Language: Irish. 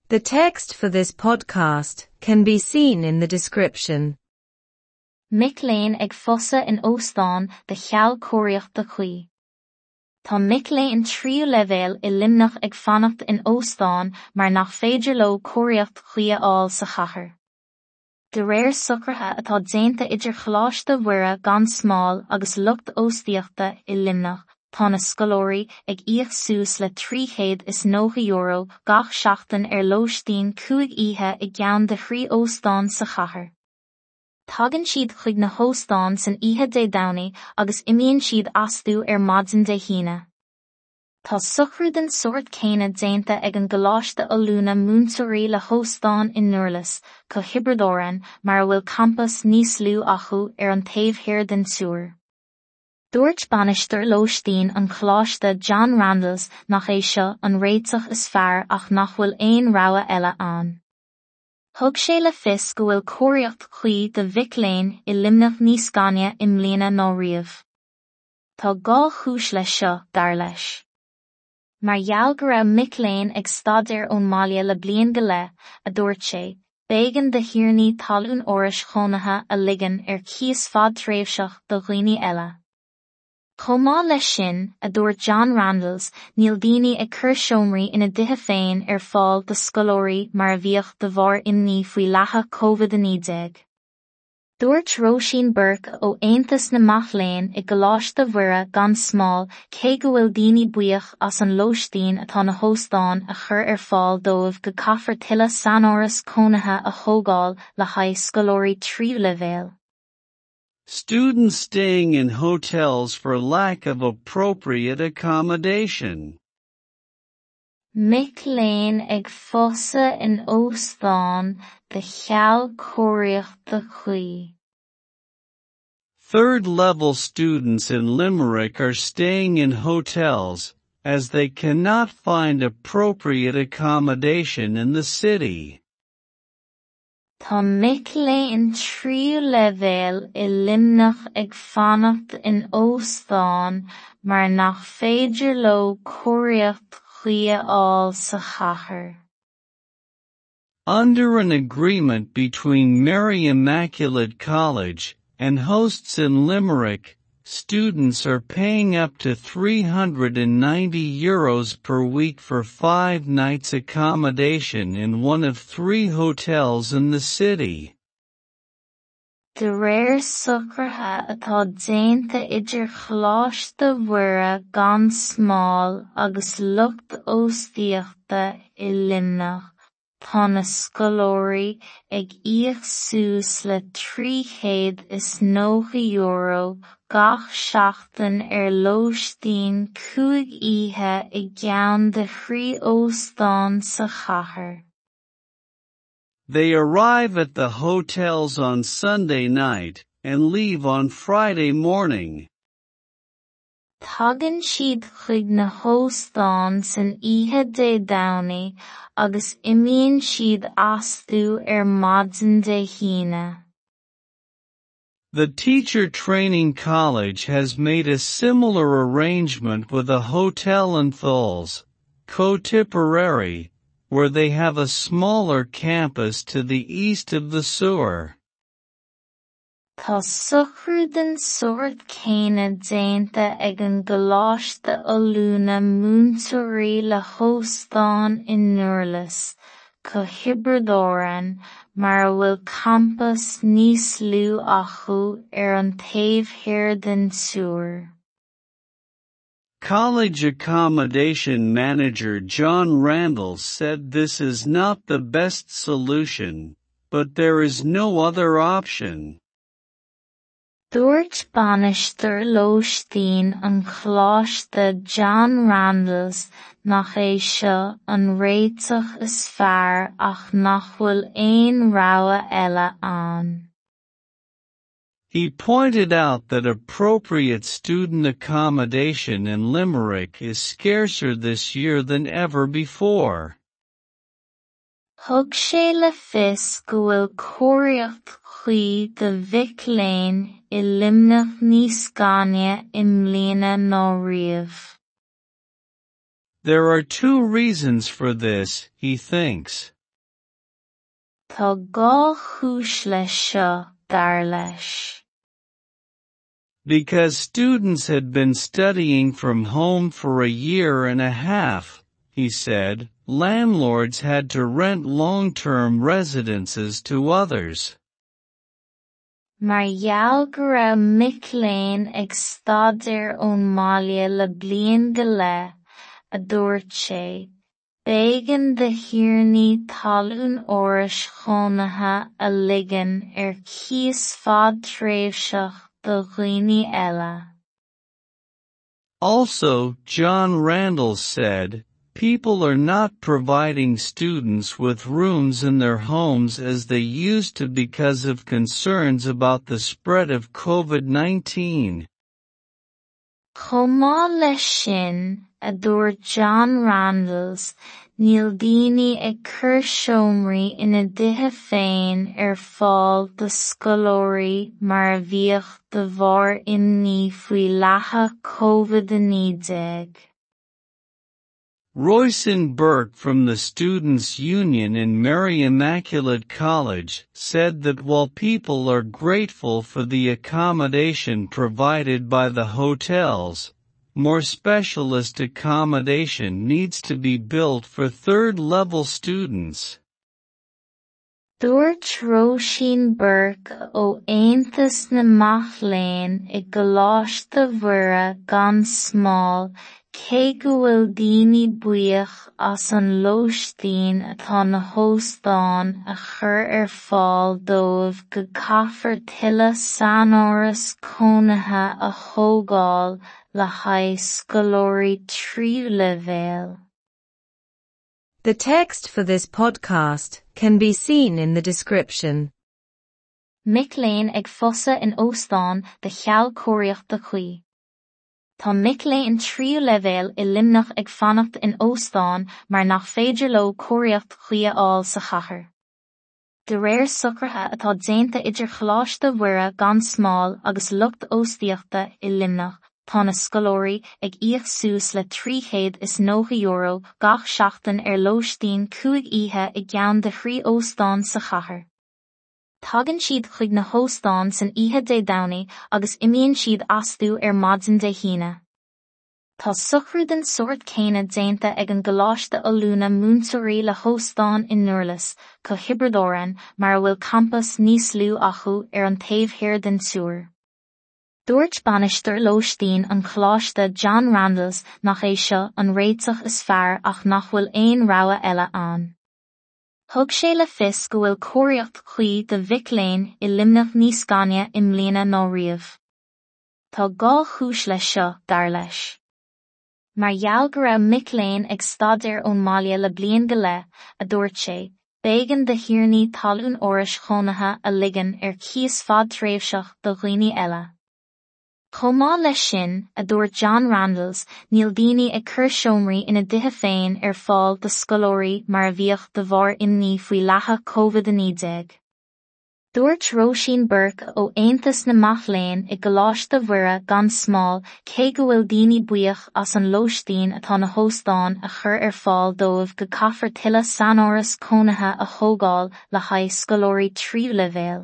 The text for this podcast can be seen in the description. Mic léinn ag pósadh in óstán de cheal cóiríochta cuí. Tá mic léinn tríú leibhéal i Luimneach ag fanacht in óstán mar nach féidir leo cóiríocht chuí a fháil sa chathair. De réir socruithe atá déanta idir Choláiste Mhuire gan Smál agus lucht óstaíochta i Luimneach, tá na scoláirí ag íoc suas le €390 gach seachtain ar lóistín 5 oíche i gceann de thrí óstán sa chathair. Tagann siad chuig na hóstáin san oíche Dé Domhnaigh agus imíonn siad astu ar maidin Dé hAoine. Tá socrú den sórt céanna déanta ag an gColáiste Oiliúna Múinteoirí le hóstán i nDurlas, Co Thiobraid Árann, mar a bhfuil campas níos lú acu ar an taobh thiar den tSiúir. Dúirt bainisteoir lóistín an Choláiste John Randles nach é seo an réiteach is fearr ach nach bhfuil aon rogha eile ann. Thug sé le fios go bhfuil cóiríocht chuí do mhic léinn i Luimneach níos gainne i mbliana ná riamh. Tá dhá chúis leis seo, dar leis. Mar gheall go raibh mic léinn ag staidéar ón mbaile le bliain go leith, a dúirt sé, b'éigean do thiarnaí talún árais chónaithe a ligean ar cíos fadtréimhseach do dhaoine eile. Chomh maith leis sin, a dúirt John Randles, níl daoine ag cur seomraí ina dtithe féin ar fáil do scoláirí mar a bhíodh de bharr imní faoi leathadh Covid-19. Dúirt Róisín Burke ó Aontas na Mac Léinn i gColáiste Mhuire gan Smál cé go bhfuil daoine buíoch as an lóistín atá na hóstáin a chur ar fáil dóibh go gcaithfear tuilleadh saináras cónaithe a thógáil le haghaidh scoláirí tríú leibhéal. Students staying in hotels for lack of appropriate accommodation. Mic léinn ag pósadh in óstán de cheal cóiríochta cuí. Third-level students in Limerick are staying in hotels, as they cannot find appropriate accommodation in the city. Tá mic léinn tríú leibhéal i Luimneach ag fanacht in óstán mar nach féidir leo cóiríocht chuí a fháil sa chathair. Under an agreement between Mary Immaculate College and hosts in Limerick, students are paying up to €390 per week for 5 nights accommodation in one of 3 hotels in the city. De réir socruithe atá déanta idir Choláiste Mhuire gan Smál agus lucht óstaíochta i Luimneach, tá na scoláirí ag íoc suas le €390 gach seachtain ar lóistín 5 oíche i gceann de thrí óstán sa chathair. They arrive at the hotels on Sunday night and leave on Friday morning. Tagann siad chuig na hóstáin san oíche Dé Domhnaigh agus imíonn siad astu ar maidin Dé hAoine. The Teacher Training College has made a similar arrangement with a hotel in Thurles, Co Tipperary, where they have a smaller campus to the east of the Suir. Tá socrú den sórt céanna déanta ag an gColáiste Oiliúna Múinteoirí le hóstán i nDurlas, Co Thiobraid Árann, mar a bhfuil campas níos lú acu ar an taobh thiar den tSiúir. College accommodation manager John Randall said this is not the best solution, but there is no other option. Dúirt bainisteoir lóistín an Choláiste John Randles nach é seo an réiteach is fearr ach nach bhfuil aon rogha eile ann. He pointed out that appropriate student accommodation in Limerick is scarcer this year than ever before. Thug sé le fios go bhfuil cóiríocht chuí do mhic léinn i Luimneach níos gainne i mbliana ná riamh. There are two reasons for this, he thinks. Tá dhá chúis leis seo, dar leis. Because students had been studying from home for a year and a half, he said, landlords had to rent long-term residences to others. Mar gheall go raibh mic léinn ag staidéar ón mbaile le bliain go leith, a dúirt sé, b'éigean do thiarnaí talún árais chónaithe a ligean ar cíos fadtréimhseach do dhaoine eile. Also, John Randles said, people are not providing students with rooms in their homes as they used to because of concerns about the spread of COVID-19. Chomh maith leis sin, a dúirt John Randles, níl daoine ag cur seomraí ina dtithe féin ar fáil do scoláirí mar a bhíodh de bharr imní faoi leathadh COVID-19. Roisin Burke from the Students' Union in Mary Immaculate College said that while people are grateful for the accommodation provided by the hotels, more specialist accommodation needs to be built for third-level students. Dúirt Róisín Burke ó Aontas na Mac Léinn i gColáiste Mhuire gan Smál cé go bhfuil daoine buíoch as an lóistín atá na hóstáin a chur ar fáil dóibh go gcaithfear tuilleadh saináras cónaithe a thógáil le haghaidh scoláirí tríú leibhéal. The text for this podcast can be seen in the description. Mic léinn ag fosadh in óstán de cheal cóiríochta cuí. Tá mic léinn tríú leibhéal i Luimneach ag fanacht in óstán mar nach féidir leo cóiríocht chuí a fháil sa chathair. De réir socruithe atá déanta idir Choláiste Mhuire gan Smál agus lucht óstaíochta i Luimneach, tá na scoláirí ag íoc suas le €390 gach seachtain ar lóistín cúig oíche i gceann de thrí óstán sa chathair. Tagann siad chuig na hóstáin san oíche Dé Domhnaigh agus imíonn siad astu ar maidin Dé hAoine. Tá socrú den sórt céanna déanta ag an gColáiste Oiliúna Múinteoirí le hóstán i nDurlas, Co Thiobraid Árann, mar a bhfuil campas níos lú acu ar an taobh thiar den túr. Dúirt bainisteoir lóistín an Choláiste John Randles nach é seo an réiteach is fearr ach nach bhfuil aon rogha eile ann. Thug sé le fios go bhfuil cóiríocht chuí do mhic léinn i Luimneach níos gainne i mbliana ná riamh. Tá dhá chúis leis seo, dar leis. Mar gheall go raibh mic léinn ag staidéar ón mbaile le bliain go leith, a dúirt sé, b'éigean do thiarnaí talún árais chónaithe a ligean ar cíos fadtréimhseach do dhaoine eile. Chomh maith leis sin, a dúirt John Randles, níl daoine ag cur seomraí ina dtithe féin ar fáil do scoláirí mar a bhíodh de bharr imní faoi leathadh COVID-19. Dúirt Róisín Burke ó Aontas na Mac Léinn i gColáiste Mhuire gan Smál cé go bhfuil daoine buíoch as an lóistín atá na hóstáin a chur ar fáil dóibh go gcaithfear tuilleadh saináras cónaithe a thógáil le haghaidh scoláirí tríú leibhéal.